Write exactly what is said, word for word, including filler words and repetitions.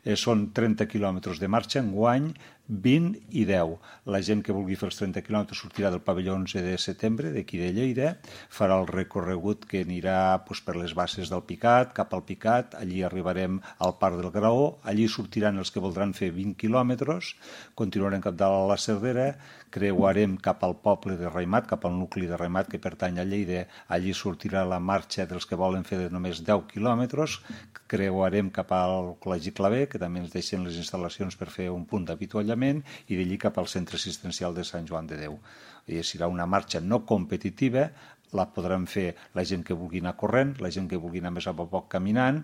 Eh, són trenta quilòmetres de marxa enguany, vint i deu. La gent que vulgui fer els trenta quilòmetres sortirà del pavelló onze de setembre, d'aquí de Lleida, farà el recorregut que anirà pues, per les bases del Picat, cap al Picat, allí arribarem al Parc del Graó, allí sortiran els que voldran fer vint quilòmetres, continuarem cap dalt a la Cerdera, creuarem cap al poble de Raimat, cap al nucli de Raimat que pertany a Lleida, allí sortirà la marxa dels que volen fer de només deu quilòmetres, creuarem cap al Col·legi Clavé, que també ens deixen les instal·lacions per fer un punt d'avituallament, i d'allí cap al centre assistencial de Sant Joan de Déu. I serà una marxa no competitiva, la podran fer la gent que vulgui anar corrent, la gent que vulgui anar més a poc caminant,